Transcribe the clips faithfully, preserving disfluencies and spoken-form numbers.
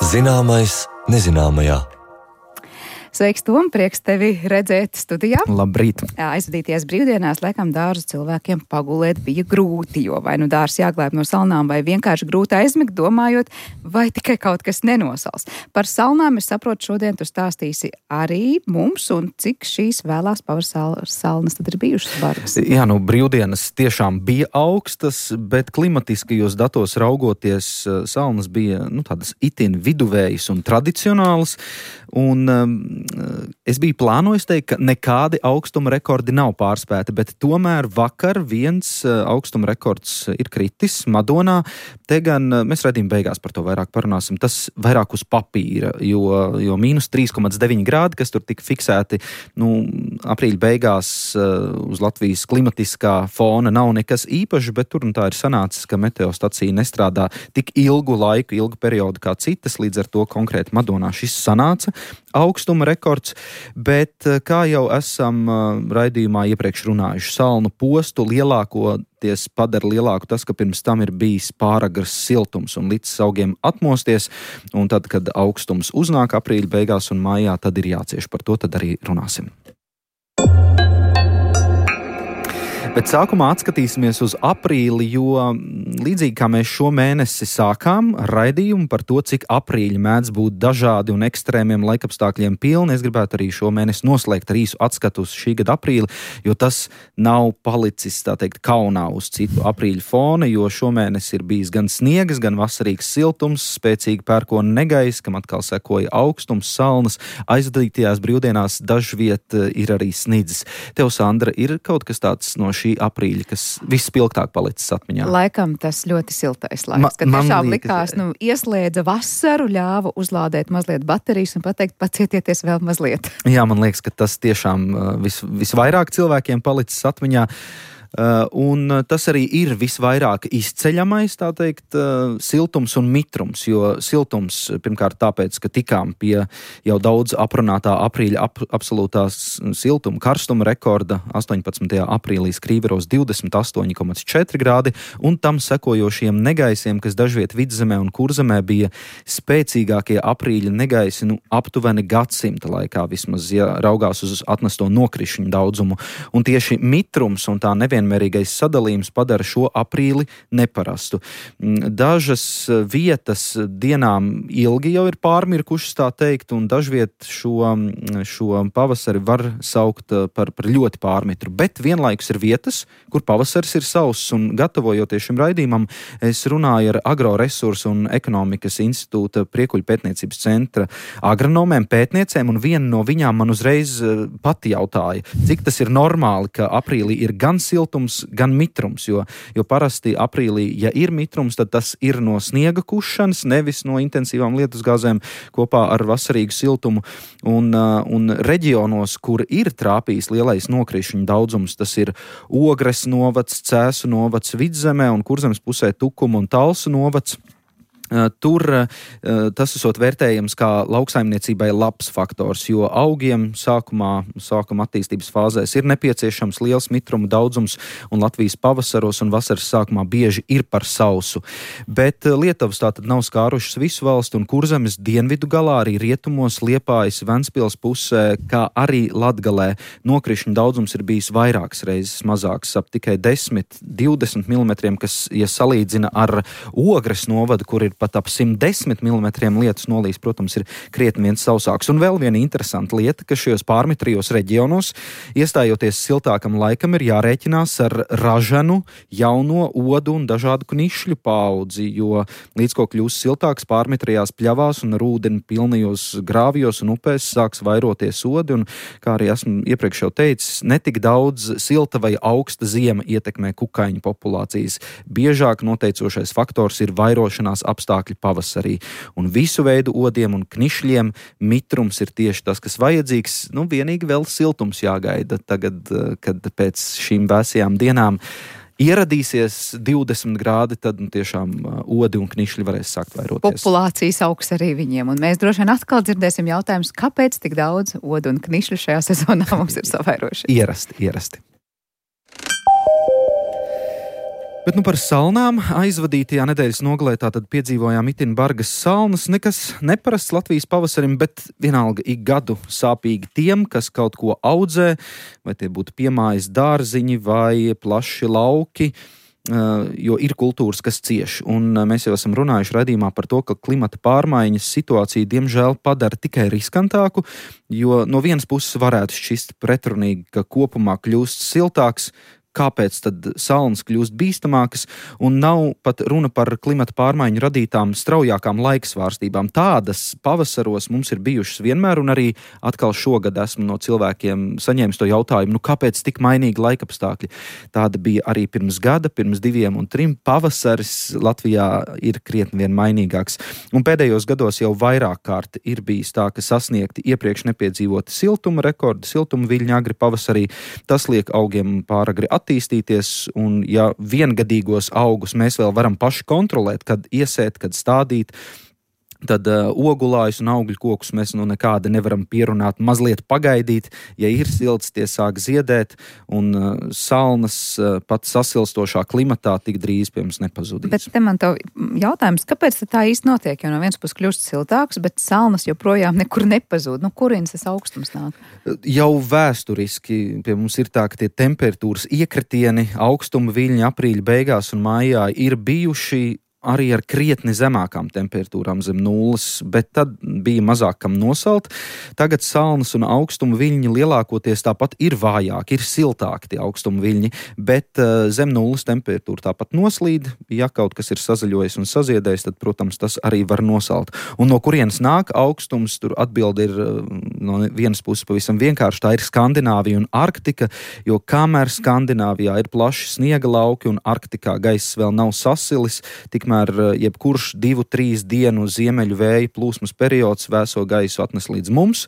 Zināmais nezināmajā. Sveiks, Tom! Prieks tevi redzēt studijā. Labrīt! Aizvadīties brīvdienās, laikam, dārzu cilvēkiem pagulēt bija grūti, jo vai nu dārs jāglāb no salnām, vai vienkārši grūti aizmigt, domājot, vai tikai kaut kas nenosals. Par salnām, es saprotu, šodien tu stāstīsi arī mums, un cik šīs vēlās pavasarsalnas tad ir bijušas bargas. Jā, nu, brīvdienas tiešām bija augstas, bet klimatiskajos datos raugoties, salnas bija, nu, tādas itin viduvējas un tradicionālas, un um, es biju plānojis teikt, ka nekādi augstuma rekordi nav pārspēti, bet tomēr vakar viens augstuma rekords ir kritis Madonā. Te gan mēs redzījām beigās par to vairāk parunāsim. Tas vairāk uz papīra, jo, jo mīnus trīs komats deviņi grādi, kas tur tika fiksēti, nu, aprīļa beigās uz Latvijas klimatiskā fona nav nekas īpašs, bet tur un tā ir sanācis, ka meteostacija nestrādā tik ilgu laiku, ilgu periodu kā citas, līdz ar to konkrēti Madonā šis sanāca augstuma rekords, bet kā jau esam raidījumā iepriekš runājuši, salnu postu lielākoties padara lielāku tas, ka pirms tam ir bijis pāragrs siltums un līdz augiem atmosties, un tad, kad augstums uznāk aprīļa beigās un mājā, tad ir jācieš. Par to tad arī runāsim. Bet sākumā atskatīsimies uz aprīli, jo līdzīgi kā mēs šo mēnesi sākām raidījumu par to, cik aprīļi mēdz būt dažādi un ekstrēmiem laikapstākļiem pilni, es gribētu arī šo mēnesi noslēgt ar īsu atskatu uz šī gada aprīli, jo tas nav palicis, tā teikt, kaunā uz citu aprīļu fona, jo šomēnes ir bijis gan sniegs, gan vasarīgs siltums, spēcīgi pērkona negaiss, kam atkal sekoja augstums, salnas, aizvadītajās brīvdienās dažviet ir arī snidzis. Tev, Sandra, ir kaut kas tāds no šī aprīļa, kas vispilgtāk palicis atmiņā? Laikam tas ļoti siltais laiks, Ma, kad tiešām liekas, likās, nu, ieslēdza vasaru, ļāva uzlādēt mazliet baterijas un pateikt, pacietieties vēl mazliet. Jā, man liekas, ka tas tiešām vis, visvairāk cilvēkiem palicis atmiņā. Uh, un tas arī ir visvairāk izceļamais, tā teikt, uh, siltums un mitrums, jo siltums pirmkārt tāpēc, ka tikām pie jau daudz aprunātā aprīļa ap, absolūtās siltuma karstuma rekorda astoņpadsmitajā aprīlī Skrīveros divdesmit astoņi komats četri grādi, un tam sekojošiem negaisiem, kas dažviet Vidzemē un Kurzemē bija spēcīgākie aprīļa negaisi, nu, aptuveni gadsimta laikā vismaz, ja raugās uz atnesto nokrišņu daudzumu. Un tieši mitrums un tā nevienmērīgais sadalījums padara šo aprīli neparastu. Dažas vietas dienām ilgi jau ir pārmirkušas, tā teikt, un dažviet šo, šo pavasari var saukt par, par ļoti pārmitru. Bet vienlaikus ir vietas, kur pavasaris ir sauss, un gatavojoties šim raidījumam, es runāju ar Agroresursu un ekonomikas institūta Priekuļu pētniecības centra agronomēm, pētniecēm, un viena no viņām man uzreiz pati jautāja, cik tas ir normāli, ka aprīlī ir gan siltums, gan mitrums, jo, jo parasti aprīlī, ja ir mitrums, tad tas ir no sniega kušanas, nevis no intensīvām lietusgāzēm kopā ar vasarīgu siltumu. Un, un reģionos, kur ir trāpījis lielais nokrišņu daudzums, tas ir Ogres novads, Cēsu novads Vidzemē un Kurzemes pusē Tukuma un Talsu novads. Tur tas esot vērtējams kā lauksaimniecībai labs faktors, jo augiem sākumā, sākuma attīstības fāzēs ir nepieciešams liels mitruma daudzums, un Latvijas pavasaros un vasaras sākumā bieži ir par sausu. Bet Lietuvas tātad nav skārušas visu valstu, un Kurzemes dienvidu galā, arī rietumos, Liepājas, Ventspils pusē, kā arī Latgalē nokrišņu daudzums ir bijis vairākas reizes mazāks, ap tikai desmit divdesmit milimetriem, kas, ja salīdzina ar Ogres novadu, kur ir pat ap simt desmit milimetriem lietus nolīs, protams, ir krietni viens sausāks. Un vēl viena interesanta lieta, ka šajos pārmitrijos reģionos, iestājoties siltākam laikam, ir jārēķinās ar ražanu, jauno odu un dažādu knišļu paudzi, jo līdz ko kļūs siltāks pārmitrijās pļavās un ar ūdeni pilnajos grāvjos un upēs sāks vairoties odi, un, kā arī esmu iepriekš jau teicis, netik daudz silta vai augsta ziema ietekmē kukaiņu populācijas. Biežāk noteicošais faktors ir vairošanās apstākļi pavasarī. Un visu veidu odiem un knišļiem mitrums ir tieši tas, kas vajadzīgs. Nu, vienīgi vēl siltums jāgaida tagad, kad pēc šīm vēsajām dienām ieradīsies divdesmit grādi, tad nu, tiešām odi un knišļi varēs sākt vairoties. Populācijas augs arī viņiem. Un mēs droši vien atkal dzirdēsim jautājumus, kāpēc tik daudz odu un knišļu šajā sezonā mums ir savairoši. Ierasti, ierasti. Bet nu par salnām aizvadītajā nedēļas nogalē tātad piedzīvojām itin bargas salnas, nekas neparasts Latvijas pavasarim, bet vienalga ik gadu sāpīgi tiem, kas kaut ko audzē, vai tie būtu piemājas dārziņi vai plaši lauki, jo ir kultūras, kas cieš. Un mēs jau esam runājuši raidījumā par to, ka klimata pārmaiņas situāciju diemžēl padara tikai riskantāku, jo no vienas puses varētu šķist pretrunīgi, ka kopumā kļūst siltāks. Kāpēc tad salnas kļūst bīstamākas, un nav pat runa par klimata pārmaiņu radītām straujākām laiksvārstībām. Tādas pavasaros mums ir bijušas vienmēr, un arī atkal šogad esmu no cilvēkiem saņēmis to jautājumu, nu kāpēc tik mainīgi laikapstākļi. Tāda bija arī pirms gada, pirms diviem un trim. Pavasaris Latvijā ir krietni vien mainīgāks, un pēdējos gados jau vairāk kārt ir bijis tā, ka sasniegti iepriekš nepiedzīvoti siltuma rekordi, siltuma viļņi agri pavasarī. Tas liek augiem pāragri attīstīties, un ja viengadīgos augus mēs vēl varam paši kontrolēt, kad iesēt, kad stādīt, tad uh, ogulājus un augļu kokus mēs nu nekādi nevaram pierunāt, mazliet pagaidīt. Ja ir silts, tie sāk ziedēt, un uh, salnas uh, pat sasilstošā klimatā tik drīz pie mums nepazudīs. Bet te man tev jautājums, kāpēc tā īsti notiek? Jo no vienas puses kļūst siltāks, bet salnas joprojām nekur nepazūd. Nu, kurienes tas augstums nāk? Jau vēsturiski pie mums ir tā, ka tie temperatūras iekritieni, augstuma viļņi aprīļa beigās un maijā ir bijuši arī ar krietni zemākām temperatūrām zem nulles, bet tad bija mazāk kam nosalt. Tagad salnas un augstuma viļņi lielākoties tāpat ir vājāki, ir siltāki tie augstuma viļņi, bet uh, zem nulles temperatūra tāpat noslīd. Ja kaut kas ir sazaļojis un saziedējis, tad, protams, tas arī var nosalt. Un no kurienes nāk augstums, tur atbildi ir uh, no vienas puses pavisam vienkārši, tā ir Skandināvija un Arktika, jo kamēr Skandināvijā ir plaši sniega lauki un Arktikā gaiss vēl nav sasilis, tik Tikmēr jebkurš divu, trīs dienu ziemeļu vēja plūsmas periods vēso gaisu atnes līdz mums,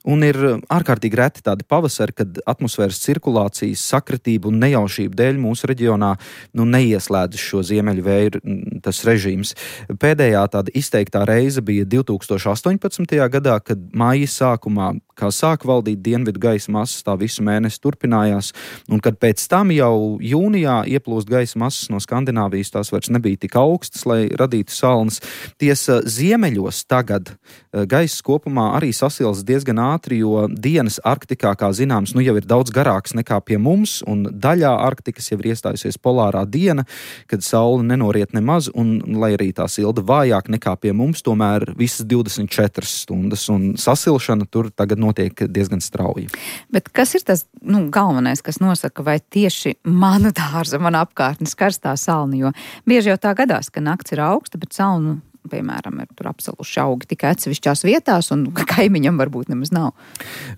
un ir ārkārtīgi reti tādi pavasari, kad atmosfēras cirkulācijas sakritība un nejaušība dēļ mūsu reģionā nu, neieslēdz šo ziemeļu vēju tas režīms. Pēdējā tāda izteiktā reize bija divi tūkstoši astoņpadsmitajā gadā, kad māja sākumā, kā sāk valdīt dienvidu gaisa masas, tā visu mēnesi turpinājās, un kad pēc tam jau jūnijā ieplūst gaisa masas no Skandināvijas, tās vairs nebija tik augstas, lai radītu salnas. Tiesa ziemeļos tagad gaiss kopumā arī sasils diezgan ātri, jo dienas Arktikā, kā zināms, nu jau ir daudz garāks nekā pie mums, un daļā Arktikas jau ir iestājusies polārā diena, kad saule nenoriet nemaz, un lai arī tā silda vājāk nekā pie mums, tomēr visas divdesmit četras stundas, un sasilšana tur tagad notiek diezgan strauji. Bet kas ir tas nu, galvenais, kas nosaka, vai tieši mana dārza, mana apkārtnes karstā salna, jo bieži jau tā gadās, ka nakts ir augsta, bet salnu, piemēram, ir tur apsaluši augi tikai atsevišķās vietās, un kaimiņam varbūt nemaz nav.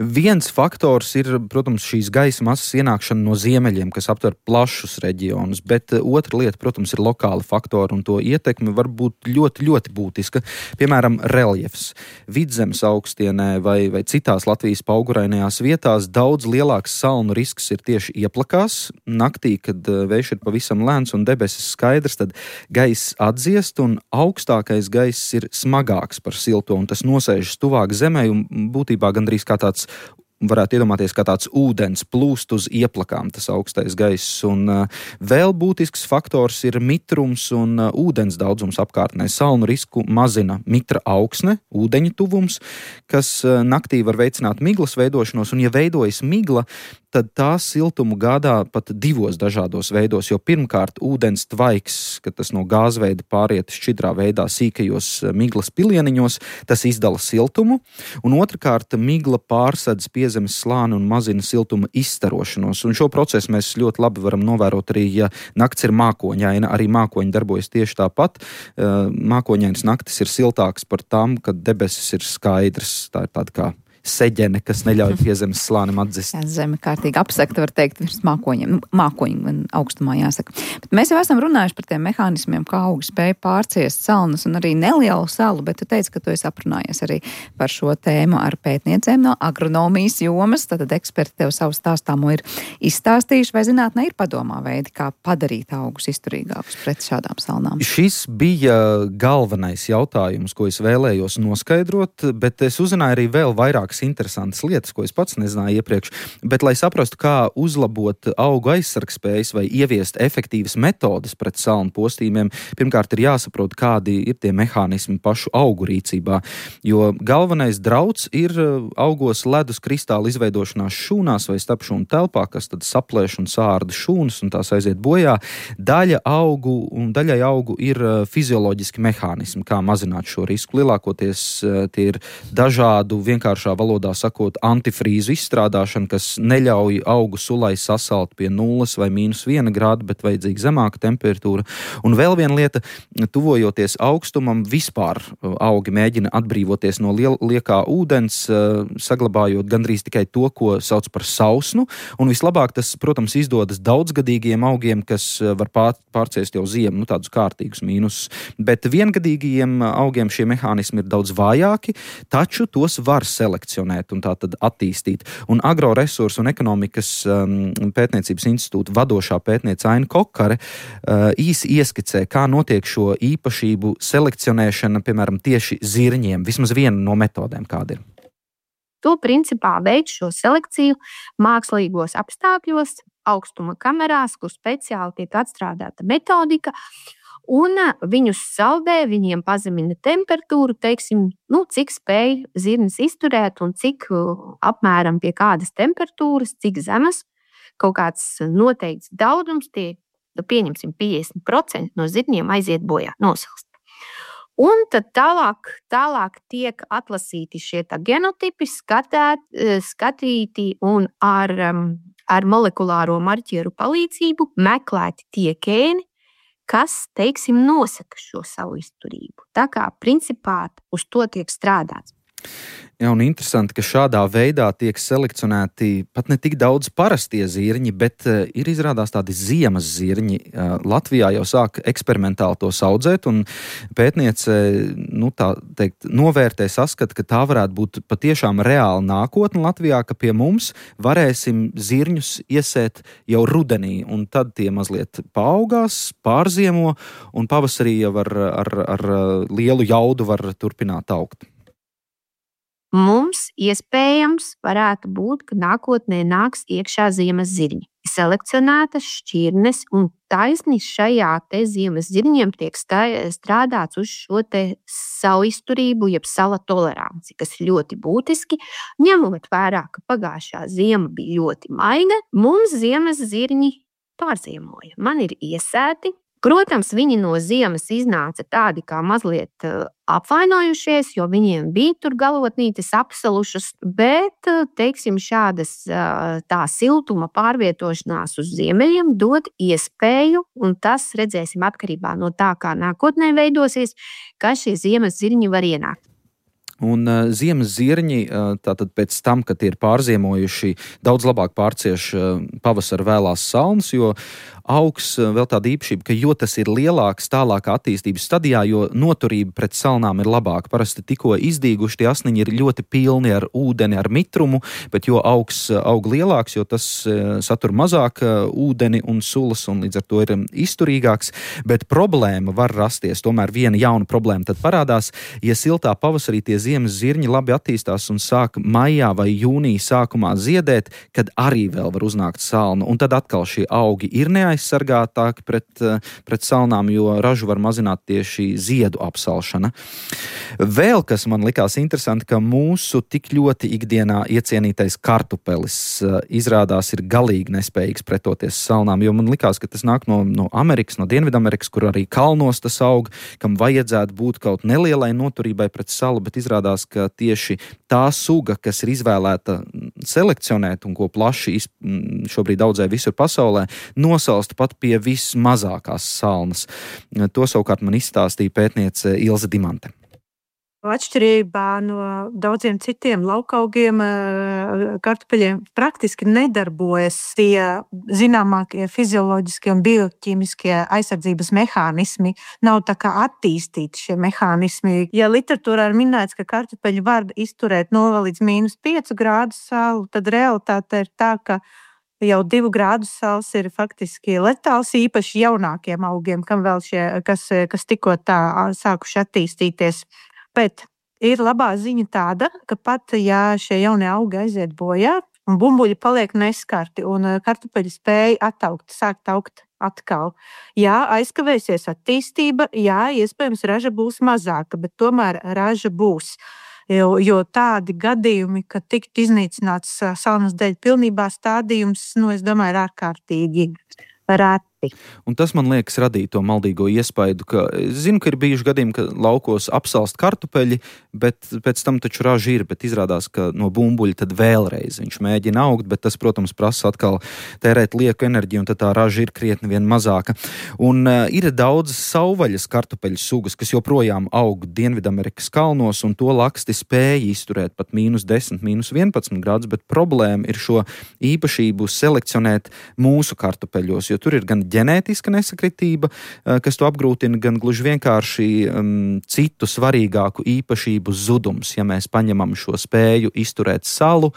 Viens faktors ir, protams, šīs gaisa masas ienākšana no ziemeļiem, kas aptver plašus reģionus, bet otra lieta, protams, ir lokāli faktori, un to ietekme var būt ļoti, ļoti būtiska. Piemēram, reljefs. Vidzemes augstienē vai, vai citās Latvijas paugurainajās vietās daudz lielāks salnu risks ir tieši ieplakās. Naktī, kad vējš ir pavisam lēns un debesis skaidrs, tad gaiss atdziest, un augstākais gaiss ir smagāks par silto, un tas nosēžas tuvāk zemē, un būtībā gandrīz kā tāds, varētu iedomāties, kā tāds ūdens plūst uz ieplakām, tas augstais gaiss. Un uh, vēl būtisks faktors ir mitrums un uh, ūdens daudzums apkārtnē. Salnu risku mazina mitra augsne, ūdeņa tuvums, kas uh, naktī var veicināt miglas veidošanos, un ja veidojas migla, tad tā siltumu gādā pat divos dažādos veidos, jo pirmkārt ūdens tvaiks, kad tas no gāzveida pāriet šķidrā veidā sīkajos miglas pilieniņos, tas izdala siltumu, un otrkārt migla pārsedz piezemes slāni un mazina siltuma izstarošanos, un šo procesu mēs ļoti labi varam novērot arī, ja nakts ir mākoņaina, arī mākoņi darbojas tieši tāpat. Mākoņainas naktis ir siltāks par tām, kad debesis ir skaidrs, tā ir tāda kā seģene, kas neļauj piezemes slānim atzist. Jā, zeme kārtīgi apsekta, var teikt, virs mākoņiem. Nu, mākoņi gan augstumā jāsaka. Bet mēs jau esam runājuši par tiem mehānismiem, kā augi spēja pārciest salnas un arī nelielu salu, bet tu teici, ka tu esi aprunājies arī par šo tēmu ar pētniecēm no agronomijas jomas, tad eksperti tev savu stāstāmo ir izstāstījuši, vai zinātnē ir padomā veidi, kā padarīt augus izturīgākus pret šādām salnām. Šis bija galvenais jautājums, ko es vēlējos noskaidrot, bet es uzzināju arī vēl vairāk vairākas interesantas lietas, ko es pats nezināju iepriekš, bet, lai saprastu, kā uzlabot augu aizsargspējas vai ieviest efektīvas metodes pret salnu postījumiem, pirmkārt ir jāsaprot, kādi ir tie mehānismi pašu augu rīcībā, jo galvenais drauds ir augos ledus kristāla izveidošanās šūnās vai starpšūnu telpā, kas tad saplēš un sārda šūnas un tās aiziet bojā. Daļa augu un daļai augu ir fizioloģiski mehānismi, kā mazināt šo risku. Lielākoties tie ir dažādu, vienkāršā valodā sakot, antifrīzu izstrādāšana, kas neļauj augu sulai sasalt pie nulles vai mīnus viena grāda, bet vajadzīga zemāka temperatūra. Un vēl viena lieta, tuvojoties augstumam, vispār augi mēģina atbrīvoties no liel, liekā ūdens, saglabājot gandrīz tikai to, ko sauc par sausnu, un vislabāk tas, protams, izdodas daudzgadīgiem augiem, kas var pār, pārciest jau ziemu, nu tādus kārtīgus mīnusus, bet viengadīgiem augiem šie mehānismi ir daudz vājāki, taču tos var selekcionēt un tā tad attīstīt. Un Agroresursu un ekonomikas um, pētniecības institūta vadošā pētniece Aina Kokare uh, īsi ieskicē, kā notiek šo īpašību selekcionēšana, piemēram, tieši zirņiem, vismaz viena no metodēm, kāda ir. To principā veids šo selekciju mākslīgos apstākļos, augstuma kamerās, kur speciāli tiek atstrādāta metodika, un viņus saldē, viņiem pazemina temperatūru, teiksim, nu, cik spēj zirnis izturēt un cik apmēram pie kādas temperatūras, cik zemes, kaut kāds noteikts daudzums, tie, pieņemsim, piecdesmit procenti no zirņiem aiziet bojā, nosalst. Un tad tālāk, tālāk tiek atlasīti šie tā genotipi, skatēt, skatīti un ar, ar molekulāro marķieru palīdzību meklēti tie gēni, kas, teiksim, nosaka šo savu izturību. Tā kā principā uz to tiek strādāts. Jā, un interesanti, ka šādā veidā tiek selekcionēti pat ne tik daudz parastie zirņi, bet uh, ir izrādās tādi ziemas zirņi. Uh, Latvijā jau sāk eksperimentāli tos audzēt, un pētniece, nu tā teikt, novērtē, saskata, ka tā varētu būt patiešām reāla nākotne Latvijā, ka pie mums varēsim zirņus iesēt jau rudenī, un tad tie mazliet paaugās, pārziemo, un pavasarī jau ar, ar, ar lielu jaudu var turpināt augt. Mums iespējams varētu būt, ka nākotnē nāks iekšā ziemas zirņi. Selekcionētas šķirnes un taisni šajā te ziemas zirņiem tiek strādāts uz šo te savu izturību, jeb sala toleranci, kas ir ļoti būtiski. Ņemot vērā, ka pagājušā ziema bija ļoti maiga, mums ziemas zirņi pārziemoja. Man ir iesēti. Protams, viņi no ziemas iznāca tādi kā mazliet apvainojušies, jo viņiem bija tur galotnītes apsalušas, bet, teiksim, šādas tā siltuma pārvietošanās uz ziemeļiem dod iespēju, un tas redzēsim atkarībā no tā, kā nākotnē veidosies, ka šie ziemas zirņi var ienākt. Un uh, ziemas zirņi, uh, tātad pēc tam, kad ir pārziemojuši, daudz labāk pārcieš uh, pavasara vēlās salnas, jo augs uh, vēl tāda īpašība, ka jo tas ir lielāks tālākā attīstības stadijā, jo noturība pret salnām ir labāka. Parasti tikko izdīguši tie asniņi ir ļoti pilni ar ūdeni, ar mitrumu, bet jo augs uh, aug lielāks, jo tas uh, satur mazāk uh, ūdeni un sulas, un līdz ar to ir um, izturīgāks. Bet problēma var rasties, tomēr viena jauna problēma tad parādās, ja siltā pavasarī tie ziemas zirņi labi attīstās un sāk maijā vai jūnija sākumā ziedēt, kad arī vēl var uznākt salna. Un tad atkal šie augi ir neaizsargātāki pret, pret salnām, jo ražu var mazināt tieši ziedu apsalšana. Vēl, kas man likās interesanti, ka mūsu tik ļoti ikdienā iecienītais kartupelis izrādās ir galīgi nespējīgs pretoties salnām, jo man likās, ka tas nāk no, no Amerikas, no Dienvidamerikas, kur arī kalnos tas aug, kam vajadzētu būt kaut nelielai noturībai pret salu, bet izrādās, ka tieši tā suga, kas ir izvēlēta selekcionēt un ko plaši šobrīd audzē visur pasaulē, nosalst pat pie vismazākās salnas. To savukārt man izstāstīja pētniece Ilze Dimante. Atšķirībā no daudziem citiem laukaugiem, kartupeļiem praktiski nedarbojas tie zināmākie fizioloģiskie un bioķīmiskie aizsardzības mehānismi. Nav tā kā attīstīti šie mehānismi. Ja literatūrā ir minēts, ka kartupeļi var izturēt nulle līdz mīnus pieci grādu salu, tad realitāte ir tā, ka jau divu grādu sals ir faktiski letāls, īpaši jaunākiem augiem, kam vēl šie, kas, kas tikko tā sākuši attīstīties. Bet ir labā ziņa tāda, ka pat, ja šie jaunie augi aiziet bojā, un bumbuļi paliek neskarti, un kartupeļi spēja attaugt, sākt augt atkal. Jā, aizkavēsies attīstība, jā, iespējams, raža būs mazāka, bet tomēr raža būs. Jo, jo tādi gadījumi, ka tiktu iznīcināts salnas dēļ pilnībā stādījums, nu, es domāju, ir ārkārtīgi reti. Un tas, man liekas, radīja to maldīgo iespaidu, ka es zinu, ka ir bijuši gadījumi, ka laukos apsalst kartupeļi, bet pēc tam taču raža ir, bet izrādās, ka no bumbuļa tad vēlreiz viņš mēģina augt, bet tas, protams, prasa atkal tērēt lieku enerģiju, un tad tā raža ir krietni vien mazāka. Un uh, ir daudz savvaļas kartupeļu sugas, kas joprojām aug Dienvidamerikas kalnos, un to laksti spēja izturēt pat mīnus desmit, mīnus vienpadsmit grādus, bet problēma ir šo īpašību selekcionēt mūsu kartupeļos, jo tur ir gan ģenētiska nesakritība, kas to apgrūtina, gan gluži vienkārši um, citu svarīgāku īpašību zudums. Ja mēs paņemam šo spēju izturēt salu,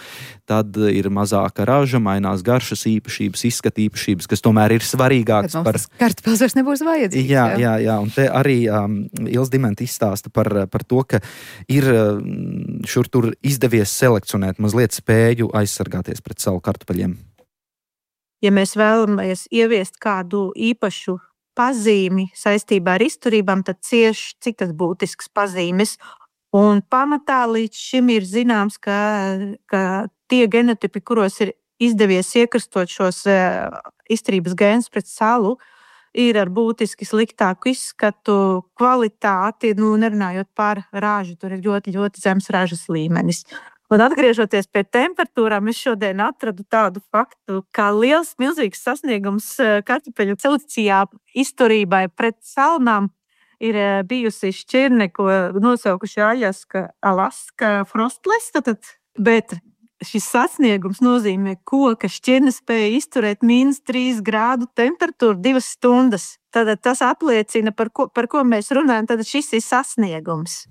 tad ir mazāka raža, mainās garšas īpašības, izskata īpašības, kas tomēr ir svarīgāks par... Kartupels vairs nebūs vajadzīgs. Jā, jā, jā, un te arī um, Ils Dimenta izstāsta par, par to, ka ir um, šur tur izdevies selekcionēt mazliet spēju aizsargāties pret salu kartupeļiem. Ja mēs vēlamies ieviest kādu īpašu pazīmi saistībā ar izturībām, tad cieši cik tas būtisks pazīmes. Un pamatā līdz šim ir zināms, ka, ka tie genotipi, kuros ir izdevies iekrastot šos uh, izturības gēnus pret salu, ir ar būtiski sliktāku izskatu, kvalitāti, nu, nerunājot par ražu, tur ir ļoti, ļoti zems ražas līmenis. Un atgriežoties pie temperatūrām, es šodien atradu tādu faktu, ka liels, milzīgs sasniegums kartupeļu selekcijā izturībai pret salnām ir bijusi šķirne, ko nosaukuši Aļaska, Alaska frostless, tad, bet šis sasniegums nozīmē, koka šķirne spēja izturēt mīnus trīs grādu temperatūru divas stundas. Tad tas apliecina, par ko, par ko mēs runājam, tad šis ir sasniegums.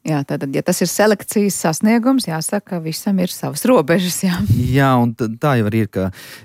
Jā, tātad, ja tas ir selekcijas sasniegums, jāsaka, visam ir savas robežas, jā. Jā, un tā jau arī ir, ka,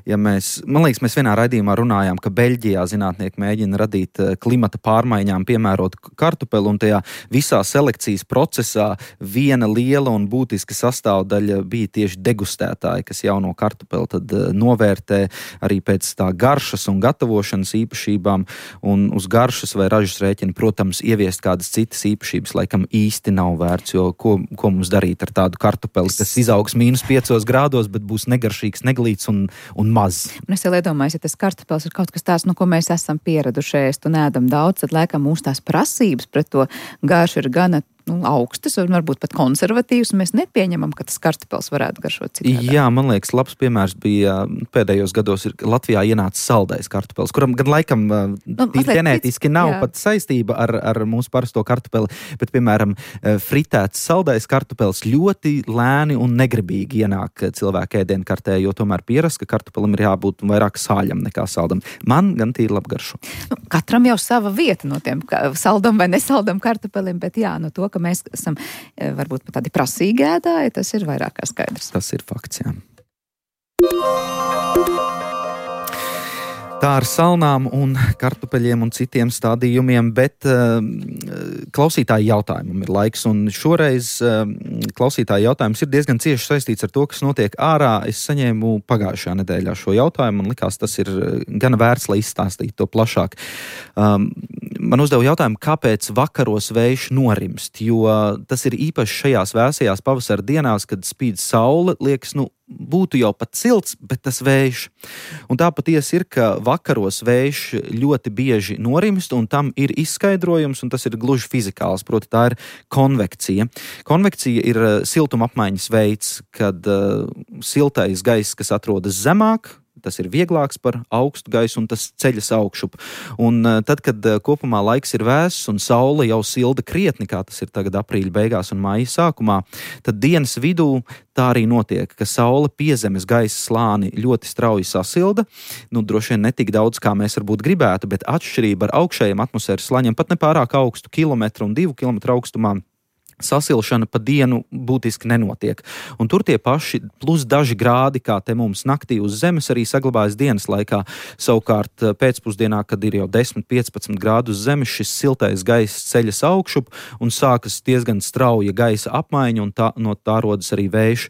ja mēs, man liekas, mēs vienā raidījumā runājām, ka Beļģijā zinātnieki mēģina radīt klimata pārmaiņām piemērot kartupeli, un tajā visā selekcijas procesā viena liela un būtiska sastāvdaļa bija tieši degustētāji, kas jauno kartupeli tad novērtē arī pēc tā garšas un gatavošanas īpašībām, un uz garšas vai ražas rēķina, protams, ieviest kādas citas īpašības, laikam īsti nav vērts, jo ko, ko mums darīt ar tādu kartupeli, kas izaugs mīnus piecos grādos, bet būs negaršīgs, neglīts un, un maz. Un es jau iedomājos, ja tas kartupels ir kaut kas tāds, nu, ko mēs esam pieraduši ēst un ēdam daudz, tad laikam mūsu tās prasības pret to garšu ir gana nu, augstas un varbūt pat konservatīvas, un mēs nepieņemam, ka tas kartupels varētu garšot citādā. Jā, man liekas, labs piemērs bija pēdējos gados ir Latvijā ienācis saldais kartupels, kuram gan laikam nu, ģenētiski nav jā. Pat saistība ar, ar mūsu parasto kartupeli, bet, piemēram, fritēts saldais kartupels ļoti lēni un negribīgi ienāk cilvēku ēdienkartē, jo tomēr pierast, ka kartupelim ir jābūt vairāk sāļam nekā saldam. Man gan tīri labgaršo. Nu, katram jau sava vieta no tiem saldam vai nesaldam kartupelim, bet jā, no to, ka mēs esam varbūt pat tādi prasīgi ēdāji, tas ir vairāk kā skaidrs. Tas ir fakts, jā. Tā ar salnām un kartupeļiem un citiem stādījumiem, bet uh, klausītāju jautājumam ir laiks, un šoreiz uh, klausītāju jautājums ir diezgan cieši saistīts ar to, kas notiek ārā. Es saņēmu pagājušajā nedēļā šo jautājumu, man likās, tas ir gana vērts, lai izstāstītu to plašāk. Um, man uzdeva jautājumu, kāpēc vakaros vējš norimst, jo tas ir īpaši šajās vēsajās pavasara dienās, kad spīd saule, liekas, nu, būtu jau pat silts, bet tas vējš. Un tā patiesi ir, ka vakaros vējš ļoti bieži norimst, un tam ir izskaidrojums, un tas ir gluži fizikāls, proti tā ir konvekcija. Konvekcija ir siltuma apmaiņas veids, kad uh, siltais gaiss, kas atrodas zemāk, tas ir vieglāks par augstu gaisu un tas ceļas augšup. Un uh, tad, kad uh, kopumā laiks ir vēss un saule jau silda krietni, kā tas ir tagad aprīļa beigās un māja sākumā, tad dienas vidū tā arī notiek, ka saule piezemes gaisa slāni ļoti strauji sasilda, nu droši vien ne tik daudz, kā mēs varbūt gribētu, bet atšķirība ar augšējiem atmosfēras slāņiem pat nepārāk augstu kilometru un divu kilometru augstumā sasilšana pa dienu būtiski nenotiek. Un tur tie paši plus daži grādi, kā te mums naktī uz zemes, arī saglabājas dienas laikā. Savukārt pēcpusdienā, kad ir jau desmit piecpadsmit grādi uz zemes, šis siltais gaiss ceļas augšup un sākas diezgan strauja gaisa apmaiņa, un tā, no tā rodas arī vējš.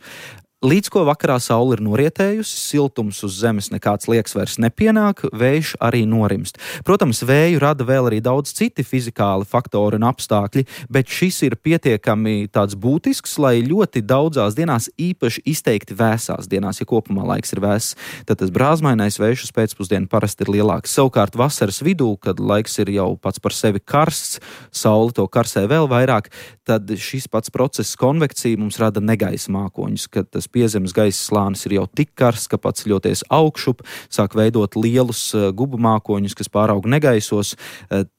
Līdz ko vakarā saule ir norietējusi, siltums uz zemes nekāds liekas vairs nepienāk, vējš arī norimst. Protams, vēju rada vēl arī daudz citi fizikāli faktori un apstākļi, bet šis ir pietiekami tāds būtisks, lai ļoti daudzās dienās, īpaši izteikti vēsās dienās, ja kopumā laiks ir vēss, tad tas brāzmainais vējš uz pēcpusdienu parasti ir lielāks. Savukārt vasaras vidū, kad laiks ir jau pats par sevi karsts, saule to karsē vēl vairāk, tad šis pats process konvekcija mums rada negaisa mākoņus, kad tas piezemes gaisa slānis ir jau tik karsts, ka paceļoties augšup, sāk veidot lielus gubu mākoņus, kas pāraug negaisos,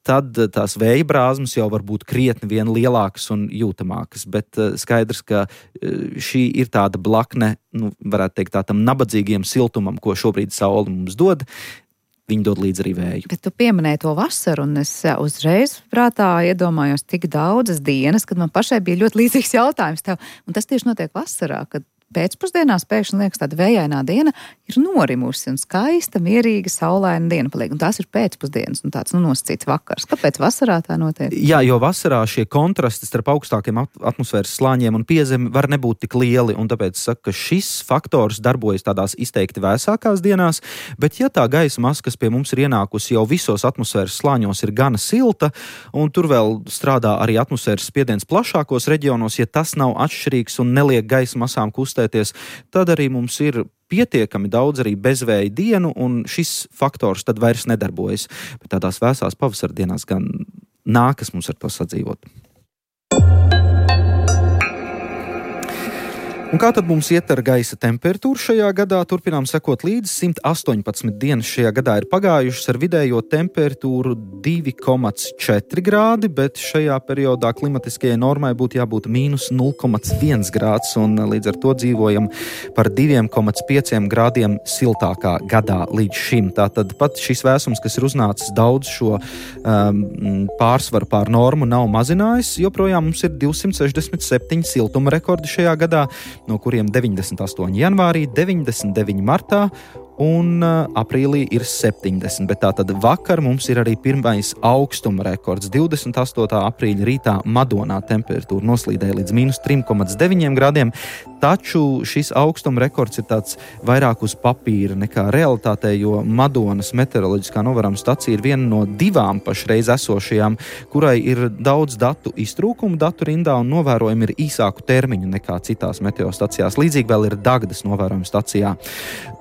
tad tās vēja brāzmas jau var būt krietni vien lielākas un jūtamākas. Bet skaidrs, ka šī ir tāda blakne, nu, varētu teikt, tā tam nabadzīgiem siltumam, ko šobrīd saule mums dod. Viņi dod līdz arī vēju. Bet tu pieminēji to vasaru, un es uzreiz prātā iedomājos tik daudzas dienas, kad man pašai bija ļoti līdzīgs jautājums tev. Un tas tieši notiek vasarā, kad pēcpusdienās pēkšņi liekas tāda vējainā diena ir norimusi un skaista, mierīga, saulaina diena paliek. Un tās ir pēcpusdienas un tāds nu, nosacīts vakars. Kāpēc vasarā tā notiek? Jā, jo vasarā šie kontrasti starp augstākiem atmosfēras slāņiem un piezemi var nebūt tik lieli, un tāpēc saka, ka šis faktors darbojas tādās izteikti vēsākās dienās, bet ja tā gaisa masa, kas pie mums ir ienākusi jau visos atmosfēras slāņos, ir gana silta, un tur vēl strādā arī atmosfēras spiediens plašākos reģionos, ja tas nav atšķirīgs un neliek gaisa masām kustēt, tad arī mums ir pietiekami daudz arī bezvēja dienu, un šis faktors tad vairs nedarbojas. Bet tādās vēsās pavasara dienās gan nākas mums ar to sadzīvot. Un kā tad mums iet ar gaisa temperatūru šajā gadā? Turpinām sekot līdzi. simt astoņpadsmit dienas šajā gadā ir pagājušas ar vidējo temperatūru divi komats četri grādi, bet šajā periodā klimatiskajai normai būtu jābūt mīnus nulle komats viens grāds, un līdz ar to dzīvojam par divi komats pieci grādiem siltākā gadā līdz šim. Tātad pat šis vēsums, kas ir uznācis daudz šo um, pārsvaru pār normu, nav mazinājis. Joprojām mums ir divsimt sešdesmit septiņi siltuma rekordi šajā gadā, no kuriem deviņdesmit astoņi janvārī, deviņdesmit deviņi martā un uh, aprīlī ir septiņdesmit. Bet tātad vakar mums ir arī pirmais augstuma rekords. divdesmit astotā aprīļa rītā Madonā temperatūra noslīdēja līdz mīnus tri komats deviņi grādiem, taču šis augstuma rekords ir tāds vairāk uz papīra nekā realitātē, jo Madonas meteoroloģiskā novērojuma stacija ir viena no divām pašreiz esošajām, kurai ir daudz datu iztrūkumu datu rindā un novērojumi ir īsāku termiņu nekā citās meteostacijās. Līdzīgi vēl ir Dagdas novērojuma stacijā.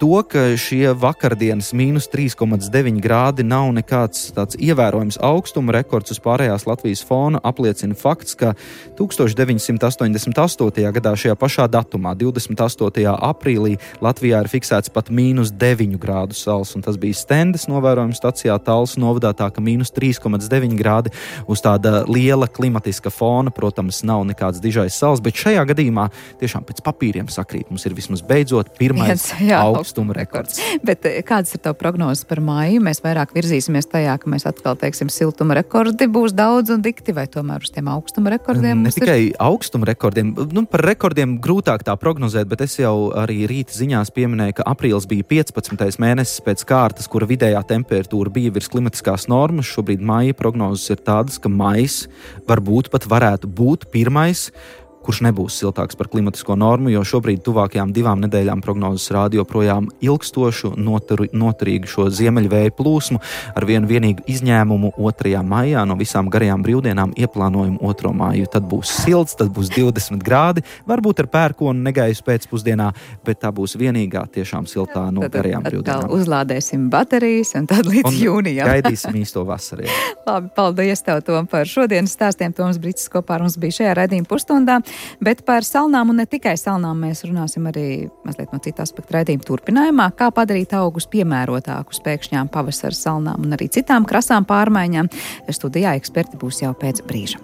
To, ka šie vakardienas mīnus tri komats deviņi grādi nav nekāds tāds ievērojams augstuma rekords uz pārējās Latvijas fona, apliecina fakts, ka deviņdesmit astoņdesmit astotajā gadā šajā pašā datumā, divdesmit astotajā aprīlī, Latvijā ir fiksēts pat mīnus deviņu grādu sals, un tas bija Stendes novērojuma stacijā Talsu novadā, tā ka mīnus tri komats deviņi grādi uz tāda liela klimatiska fona, protams, nav nekāds dižais sals, bet šajā gadījumā tiešām pēc papīriem sakrīt. Mums ir vismaz beidzot pirmais jā, augstuma rekords. Bet kādas ir tavu prognozes par māju? Mēs vairāk virzīsimies tajā, ka mēs atkal, teiksim, siltuma rekordi būs daudz un dikti, vai tomēr uz tiem augstuma rekordiem? Ne tikai ir... augstuma rekordiem, nu par rekordiem grūtāk tā prognozēt, bet es jau arī rīta ziņās pieminēju, ka aprīlis bija piecpadsmitais mēnesis pēc kārtas, kura vidējā temperatūra bija virs klimatiskās normas. Šobrīd māja prognozes ir tādas, ka maijs varbūt pat varētu būt pirmais, kurš nebūs siltāks par klimatisko normu, jo šobrīd tuvākajām divām nedēļām prognozes rāda joprojām ilgstošu, notur, noturīgu šo ziemeļvēju plūsmu, ar vienu vienīgu izņēmumu otrajā maijā no visām garajām brīvdienām ieplānojumu otro maiju. Tad būs silts, tad būs divdesmit grādi, varbūt ar pērkonu negaisu pēcpusdienā, bet tā būs vienīgā tiešām siltā no tad, garajām tad, brīvdienām. Tad uzlādēsim baterijas un tad līdz un jūnijam. Gaidīsim īsto vasaru. Labi, paldies tev, Tom, par šodienas stāstiem. Toms Brits kopā ar mums bija šajā raidījuma pusstundā. Bet par salnām un ne tikai salnām mēs runāsim arī mazliet no cita aspekta raidījuma turpinājumā, kā padarīt augus piemērotākus pēkšņām pavasara salnām un arī citām krasām pārmaiņām. Studijā eksperti būs jau pēc brīža.